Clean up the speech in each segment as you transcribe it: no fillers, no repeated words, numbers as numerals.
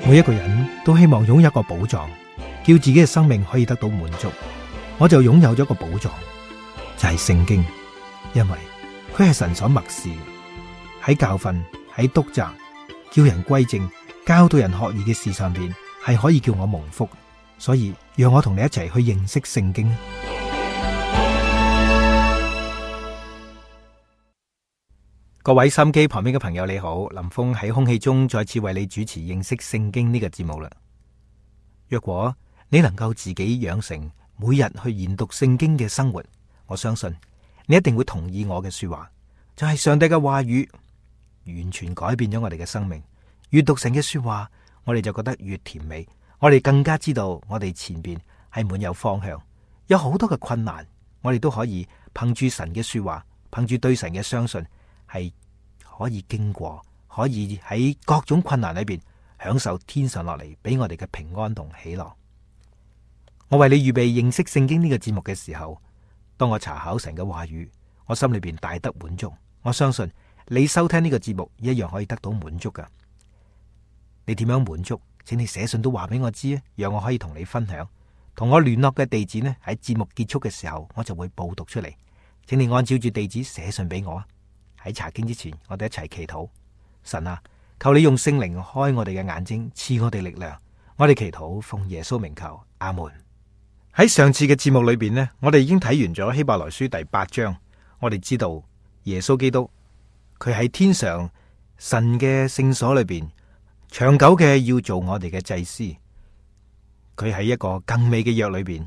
每一個人都希望擁有一個寶藏，叫自己嘅生命可以得到滿足。我就擁有咗一個寶藏，就係聖經，因為佢係神所默示，喺教訓、喺督責、叫人歸正、教導人學義嘅事上邊，係可以叫我蒙福。所以讓我同你一齊去認識聖經。各位收音機旁邊嘅朋友你好，林峰喺空氣中再次為你主持認識聖經呢個節目啦。若果你能夠自己養成每日去研讀聖經嘅生活，我相信你一定會同意我嘅說話，就係上帝嘅話語完全改變咗我哋嘅生命。越讀神嘅說話，我哋就覺得越甜美，我哋更加知道我哋前邊係滿有方向，有好多嘅困難，我哋都可以憑住神嘅說話，憑住對神嘅相信，係可以經過，可以喺各種困難裏邊享受天上落嚟俾我哋嘅平安同喜樂。我為你預備認識聖經呢個節目嘅時候，當我查考神嘅話語，我心裏邊大得滿足。我相信你收聽呢個節目一樣可以得到滿足噶。你點樣滿足？請你寫信都話俾我知啊，讓我可以同你分享。同我聯絡嘅地址呢，喺節目結束嘅時候我就會報讀出嚟，請你按照住地址寫信俾我啊。喺查經之前，我哋一齊祈禱。神啊，求你用聖靈開我哋嘅眼睛，賜我哋力量。我哋祈禱奉耶穌名求，阿門。喺上次嘅節目裏邊呢，我哋已經睇完咗希伯來書第8章。我哋知道耶穌基督佢喺天上神嘅聖所裏邊長久嘅要做我哋嘅祭司。佢喺一個更美嘅約裏邊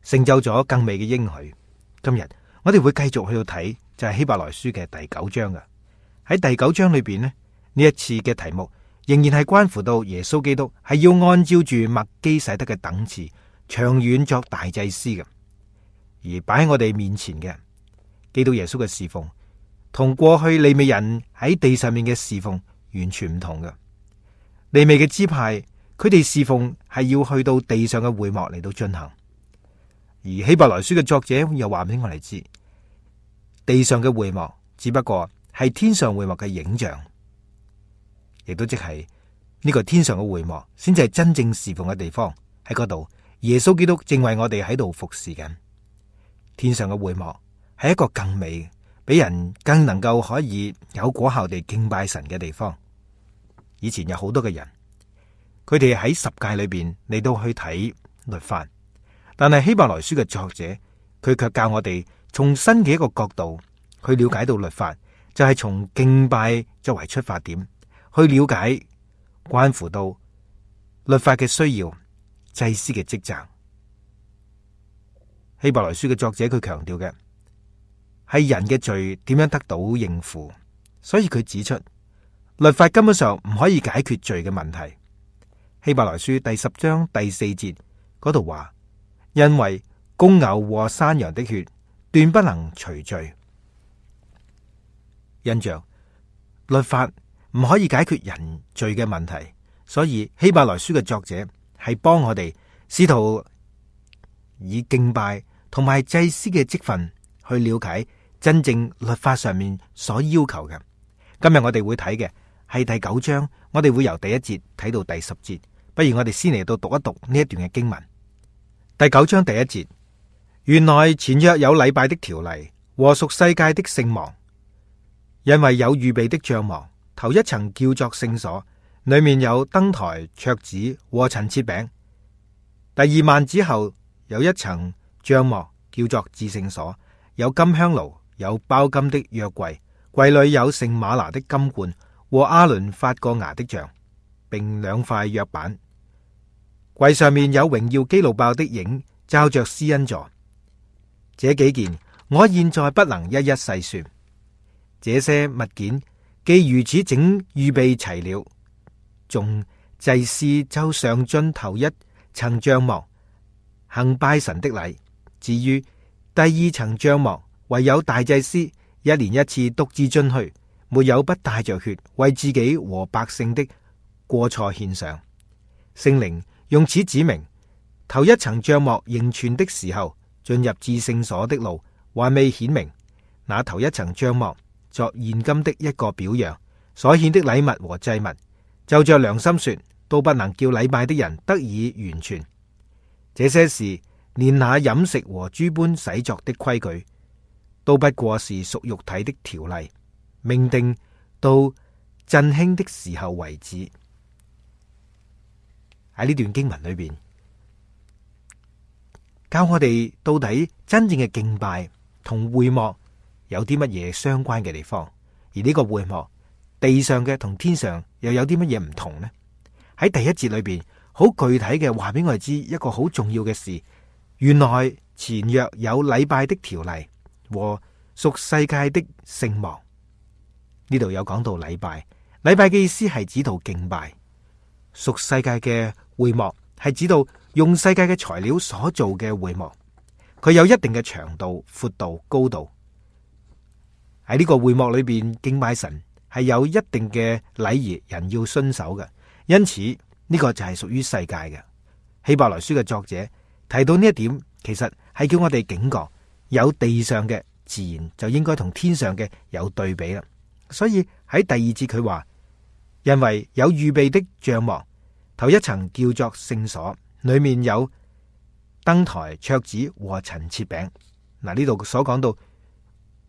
成就咗更美嘅應許。今日我哋會繼續去到睇，就係希伯來書嘅第9章嘅。喺第9章裏邊呢一次嘅題目仍然係關乎到耶穌基督係要按照住麥基洗德嘅等次長遠作大祭司嘅，而擺喺我哋面前嘅基督耶穌嘅侍奉，同過去利未人喺地上面嘅侍奉完全唔同嘅。利未嘅支派，佢哋侍奉係要去到地上嘅會幕嚟到進行，而希伯來書嘅作者又話俾我哋知，地上嘅會幕只不過係天上會幕嘅影像，亦都即係呢個天上嘅會幕先至係真正侍奉嘅地方。喺嗰度，耶穌基督正為我哋喺度服侍緊。天上嘅會幕係一個更美，俾人更能夠可以有果效地敬拜神嘅地方。以前有好多嘅人，佢哋喺十誡裏邊嚟到去睇律法，但係希伯來書嘅作者，佢卻教我哋從新嘅一個角度去了解到律法，就係從敬拜作為出發點，去了解關乎到律法嘅需要、祭司嘅職責。希伯來書嘅作者佢強調嘅係人嘅罪點樣得到應付，所以佢指出律法根本上唔可以解決罪嘅問題。希伯來書第10章第4節嗰度話，因為公牛和山羊的血斷不能除罪。因着律法唔可以解決人罪嘅問題，所以希伯來書嘅作者係幫我哋試圖以敬拜同埋祭司嘅職分去了解真正律法上面所要求嘅。今日我哋會睇嘅係第9章，我哋會由第1節睇到第10節。不如我哋先嚟到讀一讀呢一段嘅經文。第9章第1節，原來前約有禮拜的條例和屬世界的聖幕，因為有預備的帳幕，頭一層叫作聖所，裏面有燈台、桌子和陳設餅。第2幔子後有一層帳幕叫做至聖所，有金香爐，有包金的約櫃，櫃裏有聖馬拿的金罐和亞倫發過芽的像，並2塊約版。櫃上面有榮耀基路伯的影，罩着施恩座。這幾件我現在不能一一細說。這些物件既如此整預備齊了，眾祭司就上進頭一層帳幕，行拜神的禮。至於第2層帳幕，唯有大祭司一年一次獨自進去，沒有不帶着血為自己和百姓的過錯獻上。聖靈用此指明，頭一層帳幕仍存的時候，進入至聖所的路還未顯明。那頭一層帳幕作現今的一個表樣，所獻的禮物和祭物，就着良心說，都不能叫禮拜的人得以完全。這些事連那飲食和諸般洗作的規矩，都不過是屬肉體的條例，命定到振興的時候為止。喺呢段經文裏邊，教我哋到底真正嘅敬拜同會幕有啲乜嘢相關嘅地方，而呢個會幕地上嘅同天上又有啲乜嘢唔同呢？喺第一節裏邊，好具體嘅話俾我哋知一個好重要嘅事，原來前約有禮拜的條例和屬世界的聖幕。呢度有講到禮拜，禮拜嘅意思係指到敬拜；屬世界嘅會幕係指到用世界嘅材料所做嘅會幕，佢有一定嘅長度、闊度、高度。喺呢個會幕裏邊敬拜神係有一定嘅禮儀，人要遵守嘅。因此呢個就係屬於世界嘅。希伯來書嘅作者提到呢一點，其實係叫我哋警覺，有地上嘅自然就應該同天上嘅有對比啦。所以喺第二節佢話，因為有預備的帳幕，頭一層叫做聖所，裏面有燈台、桌子和陳設餅。嗱，呢度所講到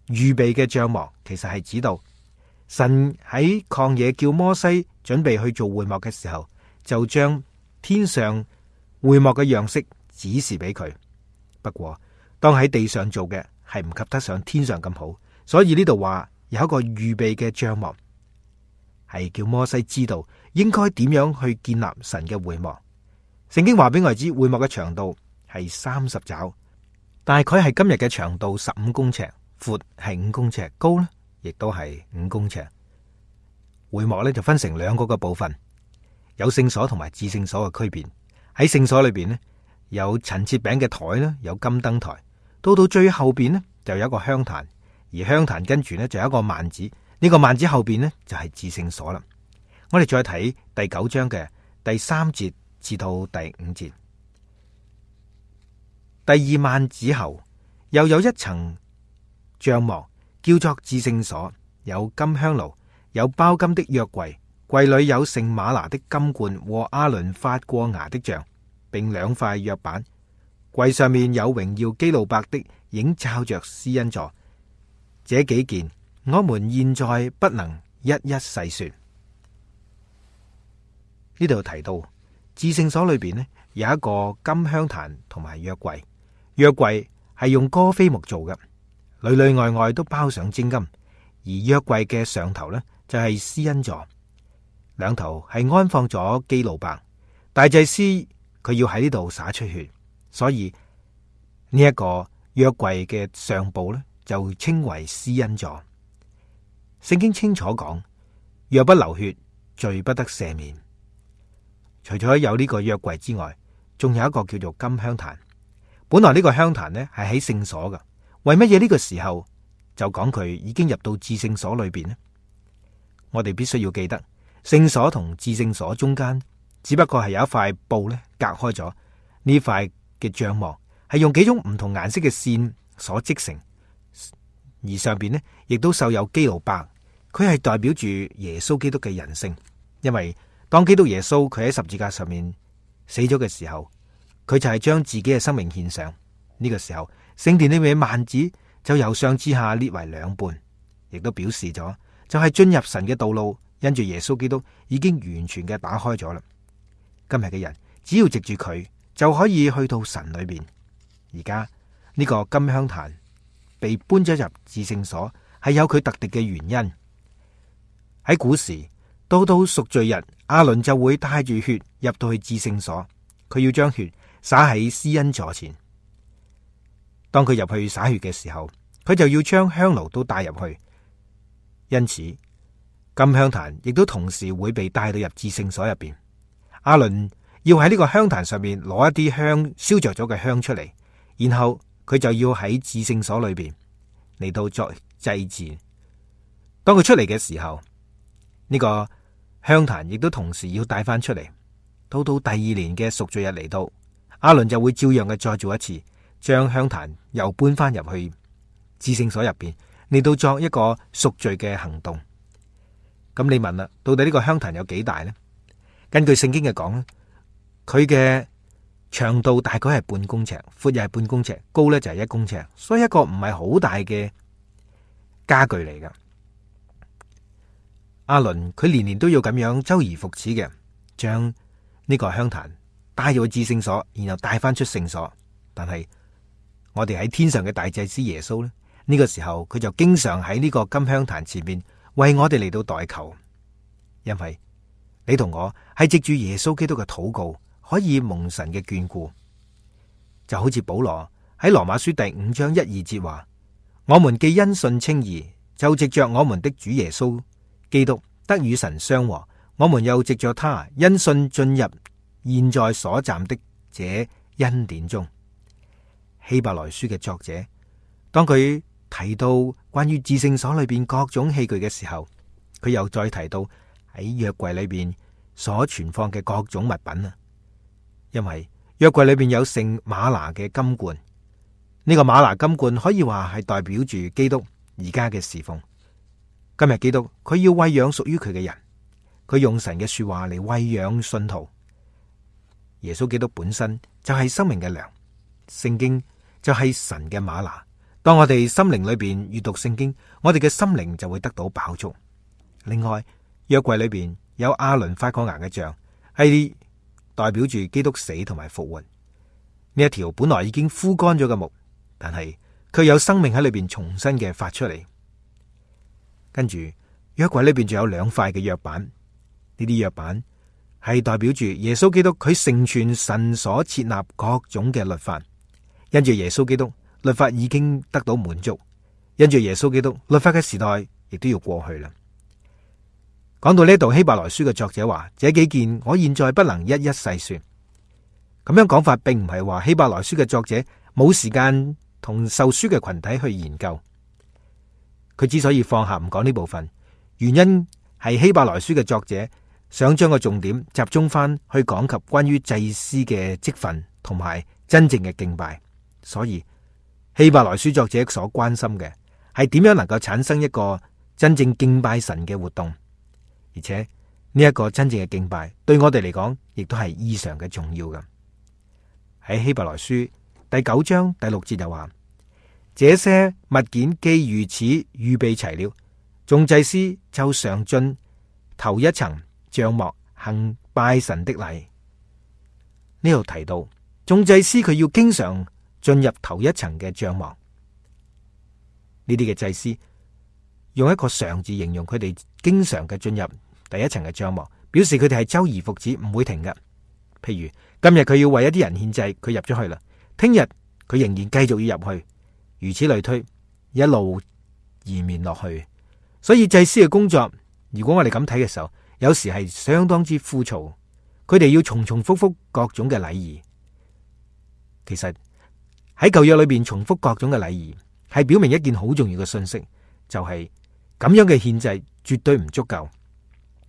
預備嘅帳幕，其實係指到神喺曠野叫摩西準備去做會幕嘅時候，就將天上會幕嘅樣式指示俾佢。不過當喺地上做嘅係唔及得上天上咁好，所以呢度話有一個預備嘅帳幕，係叫摩西知道應該點樣去建立神嘅會幕。聖經話俾我哋知，會幕嘅長度係30肘，大概係今日嘅長度15公尺，闊係5公尺，高呢亦都係5公尺。會幕呢就分成兩個嘅部分，有聖所同埋至聖所嘅區別。喺聖所裏邊呢，有陳設餅嘅台啦，有金燈台。到最後邊呢，就有一個香壇，而香壇跟住呢，就有一個幔子。呢個幔子後邊呢，就係至聖所啦。我哋再睇第9章嘅第3節至到第5節。第二幔子後又有一層帳幕，叫做至聖所，有金香爐，有包金的約櫃，櫃裏有聖馬拿的金罐和亞倫發過芽的杖，並2塊約版。櫃上面有榮耀基路伯的影罩着施恩座。這幾件我們現在不能一一細說。呢度提到至聖所裏邊呢，有一個金香壇同埋約櫃，約櫃係用歌斐木做嘅，裏裏外外都包上精金，而約櫃嘅上頭呢，就係施恩座，兩頭係安放咗基路伯。大祭司佢要喺呢度灑出血，所以呢一個約櫃嘅上部呢，就稱為施恩座。聖經清楚講，若不流血，罪不得赦免。除咗有呢個約櫃之外，仲有一個叫做金香壇。本來呢個香壇呢係喺聖所嘅，為乜嘢呢個時候就講佢已經入到至聖所裏邊呢？我哋必須要記得，聖所同至聖所中間只不過係有一塊布呢隔開咗。呢塊嘅帳幕係用幾種唔同顏色嘅線所織成，而上邊呢亦都繡有基路伯，佢係代表住耶穌基督嘅人性。因為當基督耶穌佢喺十字架上面死咗嘅時候，佢就係將自己嘅生命獻上。呢個時候，聖殿裏面嘅幔子就由上至下裂為2半，亦都表示咗就係進入神嘅道路，因住耶穌基督已經完全嘅打開咗啦。今日嘅人只要藉住佢就可以去到神裏邊。而家呢個金香壇被搬咗入至聖所，係有佢特定嘅原因。喺古時，到贖罪日，亞倫就會帶住血入到去至聖所，佢要將血灑喺施恩座前。當佢入去灑血嘅時候，佢就要將香爐都帶入去。因此，金香壇亦都同時會被帶到入至聖所入邊。亞倫要喺呢個香壇上面攞一啲香燒着咗嘅香出嚟，然後佢就要喺至聖所裏邊嚟到作祭祀。當佢出嚟嘅時候，呢個香壇亦都同時要帶翻出嚟。到第二年嘅贖罪日嚟到，亞倫就會照樣嘅再做一次，將香壇又搬翻入去至聖所入邊嚟到作一個贖罪嘅行動。咁你問啦，到底呢個香壇有幾大呢？根據聖經嘅講咧，佢嘅長度大概係半公尺，闊又係半公尺，高咧就係1公尺，所以一個唔係好大嘅家具嚟噶。亞倫佢年年都要咁樣周而復始嘅將呢個香壇帶入去至聖所，然後帶翻出聖所。但係我哋喺天上嘅大祭司耶穌呢，呢個時候佢就經常喺呢個金香壇前面為我哋嚟到代求，因為你同我係藉住耶穌基督嘅禱告可以蒙神嘅眷顧。就好似保羅喺羅馬書第5章1、2節話：我們既因信稱義，就藉着我們的主耶穌基督得與神相和，我們又藉着他因信進入現在所站的這恩典中。希伯來書嘅作者，當佢提到關於至聖所裏邊各種器具嘅時候，佢又再提到喺約櫃裏邊所存放嘅各種物品啊。因為約櫃裏邊有聖馬拿嘅金罐，呢個馬拿金罐可以話係代表住基督而家嘅侍奉。今日基督佢要餵養屬於佢嘅人，佢用神嘅說話嚟餵養信徒。耶穌基督本身就係生命嘅糧，聖經就係神嘅馬拿。當我哋心靈裏邊閱讀聖經，我哋嘅心靈就會得到飽足。另外，約櫃裏邊有亞倫發過芽嘅杖，係代表住基督死同埋復活。呢一條本來已經枯乾咗嘅木，但係佢有生命喺裏邊重新嘅發出嚟。跟住約櫃裏邊仲有2塊嘅約版，呢啲約版係代表住耶穌基督佢成全神所設立各種嘅律法。因住耶穌基督，律法已經得到滿足；因住耶穌基督，律法嘅時代亦都要過去啦。講到呢度，希伯來書嘅作者話：這幾件我現在不能一一細說。咁樣講法並唔係話希伯來書嘅作者冇時間同受書嘅群體去研究。佢之所以放下唔講呢部分，原因係希伯來書嘅作者想將個重點集中翻去講及關於祭司嘅職分同埋真正嘅敬拜。所以希伯來書作者所關心嘅係點樣能夠產生一個真正敬拜神嘅活動，而且呢一個真正嘅敬拜對我哋嚟講亦都係異常嘅重要嘅。喺希伯來書第9章第6節就話：這些物件既如此預備齊了，眾祭司就上進頭一層帳幕行拜神的禮。呢度提到眾祭司佢要經常進入頭一層嘅帳幕，呢啲嘅祭司用一個常字形容佢哋經常嘅進入第一層嘅帳幕，表示佢哋係周而復始，唔會停嘅。譬如今日佢要為一啲人獻祭，佢入咗去啦，聽日佢仍然繼續要入去，如此類推，一路延綿落去。所以祭司嘅工作，如果我哋咁睇嘅時候，有時係相當之枯燥，佢哋要重重複複各種嘅禮儀。其實喺舊約裏邊重複各種嘅禮儀，係表明一件好重要嘅信息，就係咁樣嘅獻祭絕對唔足夠。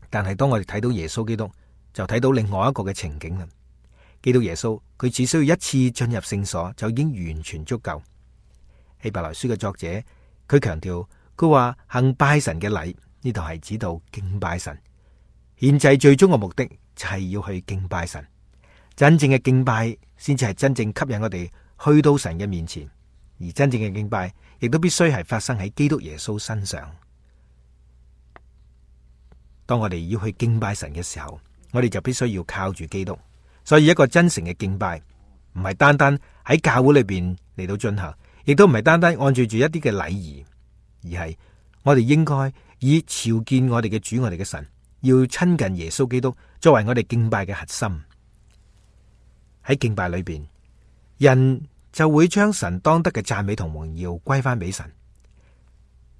但係當我哋睇到耶穌基督，就睇到另外一個嘅情景啦。基督耶穌佢只需要一次進入聖所就已經完全足夠。希伯來書嘅作者佢強調，佢話行拜神嘅禮，呢度係指到敬拜神。獻祭最終嘅目的就係要去敬拜神，真正嘅敬拜先至係真正吸引我哋去到神嘅面前，而真正嘅敬拜亦都必須係發生喺基督耶穌身上。當我哋要去敬拜神嘅時候，我哋就必須要靠住基督。所以一個真誠嘅敬拜唔係單單喺教會裏邊嚟到進行，亦都唔係單單按住一啲嘅禮儀，而係我哋應該以朝見我哋嘅主，我哋嘅神，要親近耶穌基督作為我哋敬拜嘅核心。喺敬拜裏邊，人就會將神當得嘅讚美同榮耀歸翻俾神。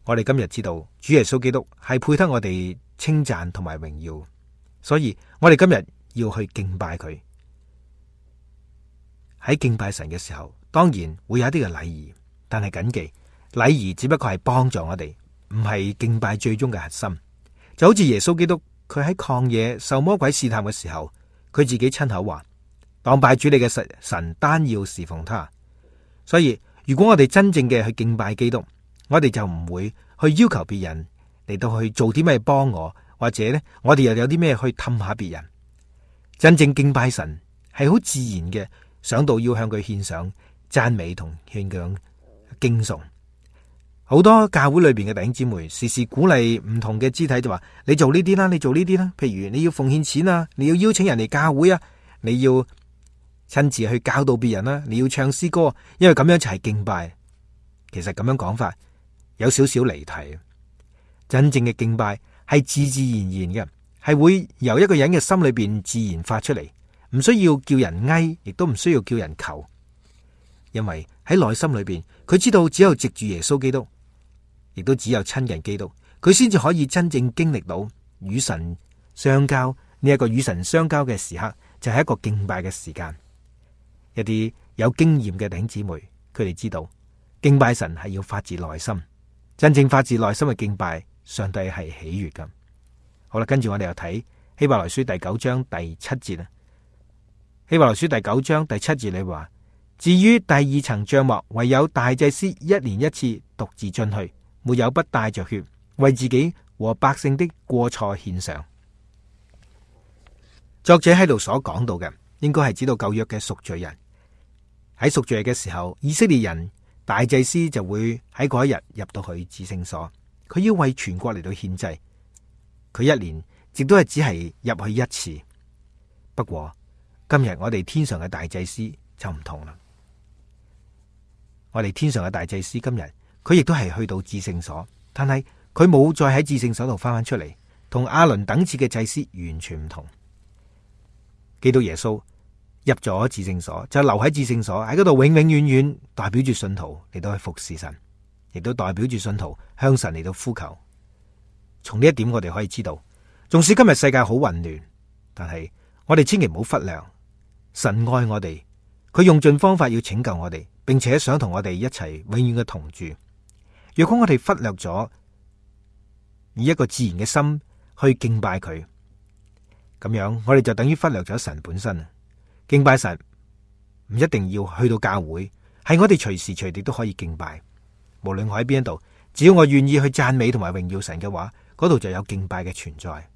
我哋今日知道主耶穌基督係配得我哋稱讚同埋榮耀，所以我哋今日要去敬拜佢。喺敬拜神嘅時候，當然會有一啲嘅禮儀，但係謹記，禮儀只不過係幫助我哋，唔係敬拜最終嘅核心。就好似耶穌基督，佢喺曠野受魔鬼試探嘅時候，佢自己親口話：當拜主你嘅神，單要侍奉他。所以如果我哋真正嘅去敬拜基督，我哋就唔會去要求別人嚟到去做啲咩幫我，或者呢，我哋又有啲咩去氹下別人。真正敬拜神係好自然嘅，想到要向佢獻上讚美同獻上敬崇。好多教會裏邊嘅弟兄姊妹時時鼓勵唔同嘅肢體，就話你做呢啲啦，你做呢啲啦。譬如你要奉獻錢啊，你要邀請人嚟教會啊，你要親自去教導別人啦，你要唱詩歌，因為咁樣就係敬拜。其實咁樣講法有少少離題。真正嘅敬拜係自自然然嘅，係會由一個人嘅心裏邊自然發出嚟，唔需要叫人嗌，亦都唔需要叫人求。因為喺內心裏邊，佢知道只有藉住耶穌基督，亦都只有親近基督，佢先至可以真正經歷到與神相交。呢一個與神相交嘅時刻，就係一個敬拜嘅時間。一啲有經驗嘅弟兄姊妹，佢哋知道敬拜神係要發自內心，真正發自內心嘅敬拜，上帝係喜悅㗎。好啦，跟住我哋又睇希伯來書第9章第7節啦。希伯來書第9章第7節你話：至於第二層帳幕，唯有大祭司一年一次獨自進去，沒有不帶着血，為自己和百姓的過錯獻上。作者喺度所講到嘅，應該係指到舊約嘅贖罪人。喺贖罪嘅時候，以色列人大祭司就會喺嗰一日入到去至聖所，佢要為全國嚟到獻祭。佢一年亦都係只係入去一次。不過今日我哋天上嘅大祭司就唔同啦。我哋天上嘅大祭司今日佢亦都係去到至聖所，但係佢冇再喺至聖所度翻出嚟，同亞倫等次嘅祭司完全唔同。基督耶穌入咗至聖所，就留喺至聖所，喺嗰度永永遠遠代表住信徒嚟到去服侍神，亦都代表住信徒向神嚟到呼求。從呢一點我哋可以知道，縱使今日世界好混亂，但係我哋千祈唔好忽略神愛我哋，佢用盡方法要拯救我哋，並且想同我哋一齊永遠嘅同住。若果我哋忽略咗以一個自然嘅心去敬拜佢，咁樣我哋就等於忽略咗神本身。敬拜神唔一定要去到教會，係我哋隨時隨地都可以敬拜。無論我喺邊一度，只要我願意去讚美同埋榮耀神嘅話，嗰度就有敬拜嘅存在。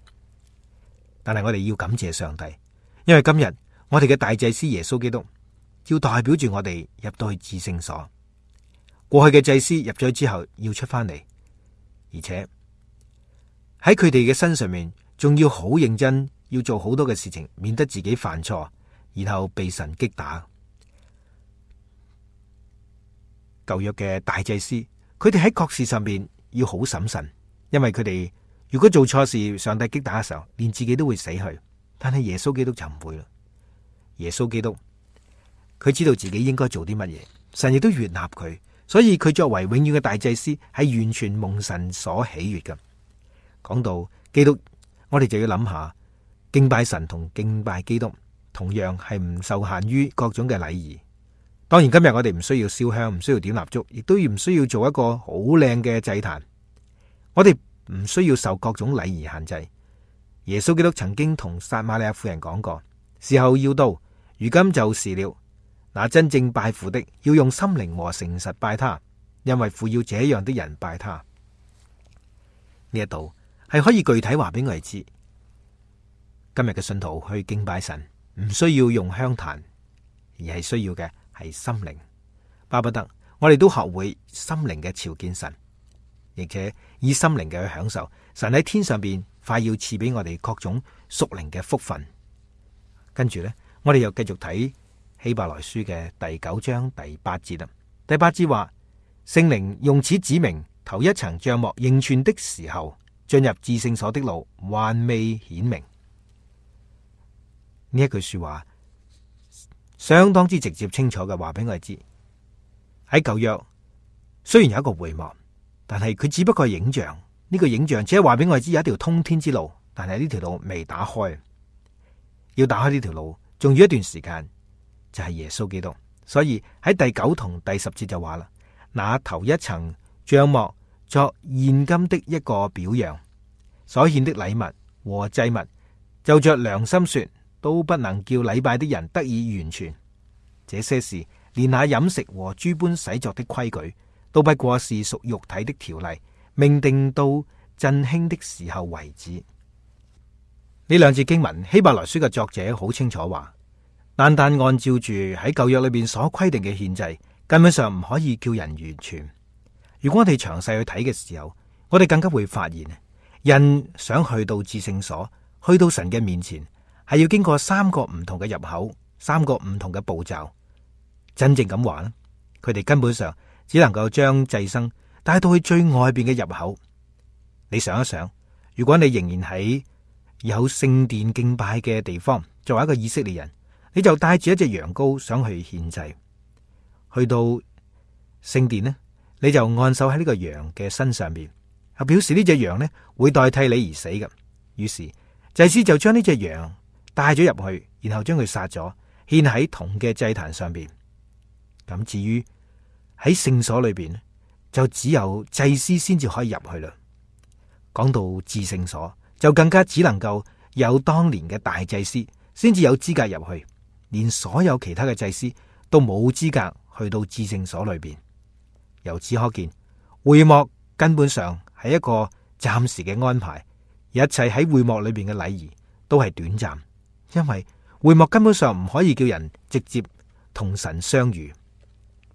但係我哋要感謝上帝，因為今日我哋嘅大祭司耶穌基督要代表住我哋入到去至聖所。過去嘅祭司入咗之後要出翻嚟，而且喺佢哋嘅身上面仲要好認真，要做好多嘅事情，免得自己犯錯，然後被神擊打。舊約嘅大祭司，佢哋喺各事上面要好審慎，因為佢哋如果做錯事，上帝擊打嘅時候，連自己都會死去。但係耶穌基督就唔會啦。耶穌基督佢知道自己應該做啲乜嘢，神亦都悅納佢，所以佢作為永遠嘅大祭司，係完全蒙神所喜悅嘅。講到基督，我哋就要諗下，敬拜神同敬拜基督同樣係唔受限於各種嘅禮儀。當然今日我哋唔需要燒香，唔需要點蠟燭，亦都唔需要做一個好靚嘅祭壇。我哋唔需要受各種禮儀限制。耶穌基督曾經同撒瑪利亞婦人講過，時候要到，如今就是了。那真正拜父的，要用心靈和誠實拜他，因為父要這樣的人拜他。呢一度係可以具體話俾我哋知，今日嘅信徒去敬拜神，唔需要用香壇，而係需要嘅係心靈。巴不得我哋都學會心靈嘅朝見神，而且以心靈嘅去享受神喺天上邊快要賜俾我哋各種屬靈嘅福分。跟住呢，我哋又繼續睇希伯來書嘅第9章第8節啦。第8節話，聖靈用此指明頭一層帳幕仍存的時候，進入至聖所的路還未顯明。呢一句說話相當之直接清楚嘅話俾我哋知，喺舊約雖然有一個會幕，但係佢只不過係影像。呢個影像只係話俾我哋知有一條通天之路，但係呢條路未打開。要打開呢條路仲要一段時間，就係耶穌基督。所以喺第9同第10節就話啦，那頭一層帳幕作現今的一個表樣，所獻的禮物和祭物，就着良心說，都不能叫禮拜的人得以完全。這些事連那飲食和諸般洗作的規矩，都不過是屬肉體的條例，命定到振興的時候為止。呢兩節經文，希伯來書嘅作者好清楚話，單單按照住喺舊約裏邊所規定嘅獻祭，根本上唔可以叫人完全。如果我哋詳細去睇嘅時候，我哋更加會發現，人想去到至聖所，去到神嘅面前，係要經過三個唔同嘅入口，三個唔同嘅步驟。真正咁話咧，佢哋根本上只能夠將祭牲帶到去最外邊嘅入口。你想一想，如果你仍然喺有聖殿敬拜嘅地方，作為一個以色列人，你就帶住一隻羊羔想去獻祭，去到聖殿呢，你就按手喺呢個羊嘅身上邊，表示呢隻羊呢會代替你而死嘅。於是祭司就將呢隻羊帶咗入去，然後將佢殺咗，獻喺銅嘅祭壇上邊。咁至於喺聖所裏邊，就只有祭司先至可以入去啦。講到至聖所，就更加只能夠有當年嘅大祭司先至有資格入去，連所有其他嘅祭司都冇資格去到至聖所裏邊。由此可見，會幕根本上係一個暫時嘅安排，一切喺會幕裏邊嘅禮儀都係短暫，因為會幕根本上唔可以叫人直接同神相遇。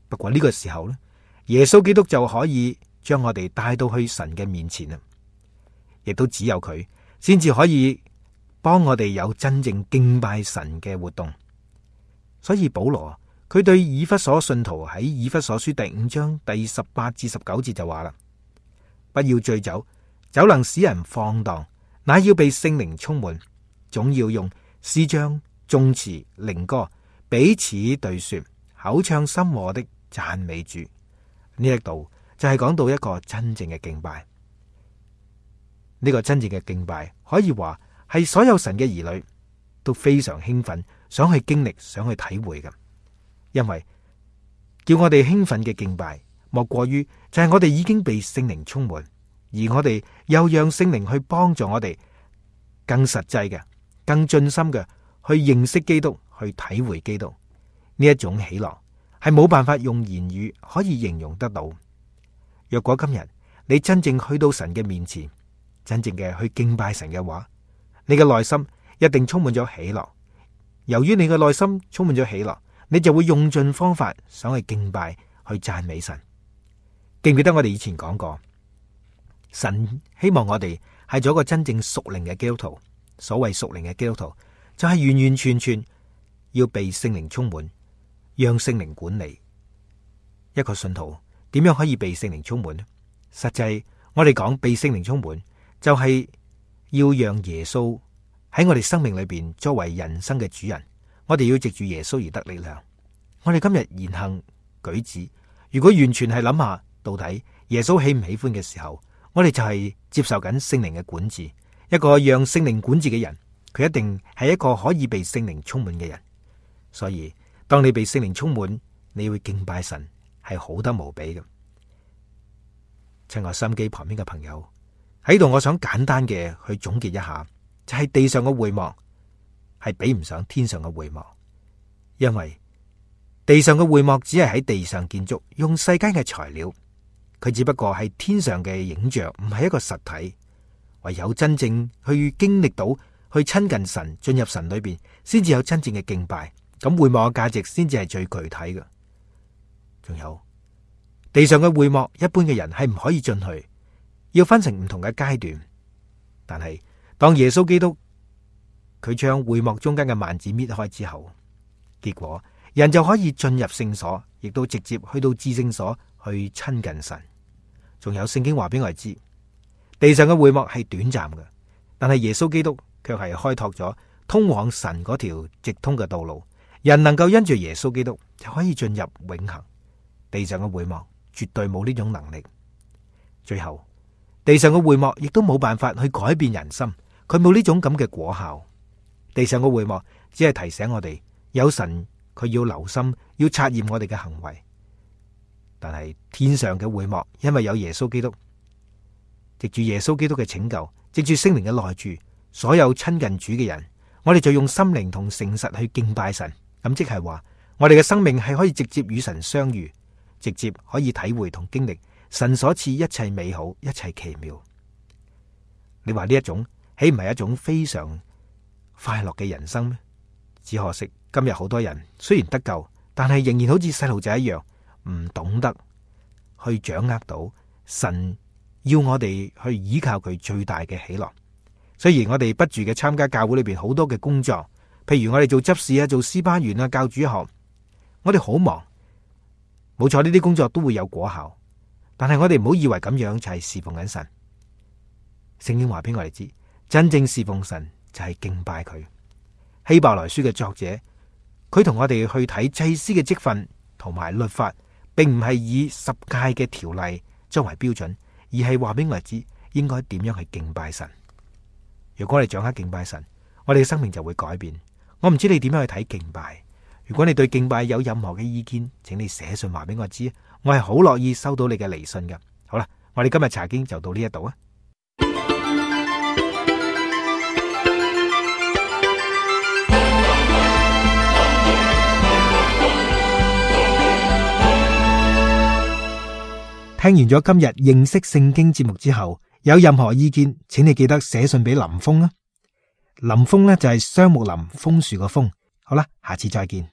不過呢個時候呢，耶穌基督就可以將我哋帶到去神嘅面前啦，亦都只有佢先至可以幫我哋有真正敬拜神嘅活動。所以保羅佢對以弗所信徒喺以弗所書第5章第18至19節就話啦：不要醉酒，酒能使人放蕩，乃要被聖靈充滿，總要用詩章、頌詞、靈歌彼此對說，口唱心和的讚美主。呢一度就係講到一個真正嘅敬拜。呢個真正嘅敬拜可以話係所有神嘅兒女都非常興奮，想去經歷，想去體會嘅。因為叫我哋興奮嘅敬拜，莫過於就係我哋已經被聖靈充滿，而我哋又讓聖靈去幫助我哋更實際嘅、更盡心嘅去認識基督，去體會基督。呢一種喜樂係冇辦法用言語可以形容得到。若果今日你真正去到神嘅面前，真正嘅去敬拜神嘅話，你嘅內心一定充滿咗喜樂。由於你嘅內心充滿咗喜樂，你就會用盡方法想去敬拜，去讚美神。記唔記得我哋以前講過，神希望我哋係做一個真正屬靈嘅基督徒。所謂屬靈嘅基督徒，就係完完全全要被聖靈充滿，讓聖靈管理。一個信徒點樣可以被聖靈充滿呢？實際我哋講被聖靈充滿，就係要讓耶穌喺我哋生命裏邊作為人生嘅主人。我哋要藉住耶穌而得力量。我哋今日言行舉止，如果完全係諗下到底耶穌喜唔喜歡嘅時候，我哋就係接受緊聖靈嘅管治。一個讓聖靈管治嘅人，佢一定係一個可以被聖靈充滿嘅人。所以當你被聖靈充滿，你會敬拜神，係好得無比嘅。親愛收音機旁邊嘅朋友喺度，我想簡單嘅去總結一下，就係地上嘅會幕係比唔上天上嘅會幕，因為地上嘅會幕只係喺地上建築，用世間嘅材料，佢只不過係天上嘅影像，唔係一個實體。唯有真正去經歷到，去親近神，進入神裏邊，先至有真正嘅敬拜。咁會幕嘅價值先至係最具體嘅。仲有地上嘅會幕，一般嘅人係唔可以進去，要分成唔同嘅階段。但係當耶穌基督佢將會幕中間嘅幔子搣開之後，結果人就可以進入聖所，亦都直接去到至聖所去親近神。仲有聖經話俾我哋知，地上嘅會幕係短暫嘅，但係耶穌基督卻係開拓咗通往神嗰條直通嘅道路。人能夠因住耶穌基督就可以進入永恆。地上嘅會幕絕對冇呢種能力。最後，地上嘅會幕亦都冇辦法去改變人心，佢冇呢種咁嘅果效。地上嘅會幕只係提醒我哋，有神佢要留心，要察驗我哋嘅行為。但係天上嘅會幕，因為有耶穌基督，藉住耶穌基督嘅拯救，藉住聖靈嘅內住，所有親近主嘅人，我哋就用心靈同誠實去敬拜神。咁即係話，我哋嘅生命係可以直接與神相遇，直接可以體會同經歷神所賜一切美好、一切奇妙。你話呢一種豈唔係一種非常快樂嘅人生咩？只可惜今日好多人雖然得救，但係仍然好似細路仔一樣，唔懂得去掌握到神要我哋去依靠佢最大嘅喜樂。雖然我哋不住嘅參加教會裏邊好多嘅工作，譬如我哋做執事啊、做詩班員啊、教主學，我哋好忙。冇錯，呢啲工作都會有果效，但係我哋唔好以為咁樣就係侍奉緊神。聖經話俾我哋知，真正侍奉神就係敬拜佢。希伯來書嘅作者，佢同我哋去睇祭司嘅職分同埋律法，並唔係以十誡嘅條例作為標準，而係話俾我哋知應該點樣去敬拜神。如果我哋掌握敬拜神，我哋嘅生命就會改變。我唔知你點樣去睇敬拜。如果你對敬拜有任何嘅意見，請你寫信話俾我知，我係好樂意收到你嘅嚟信㗎。好啦，我哋今日查經就到呢一度啊。聽完咗今日認識聖經節目之後，有任何意見，請你記得寫信俾林峰啊。林峰呢就係雙木林楓樹個楓。好啦，下次再見。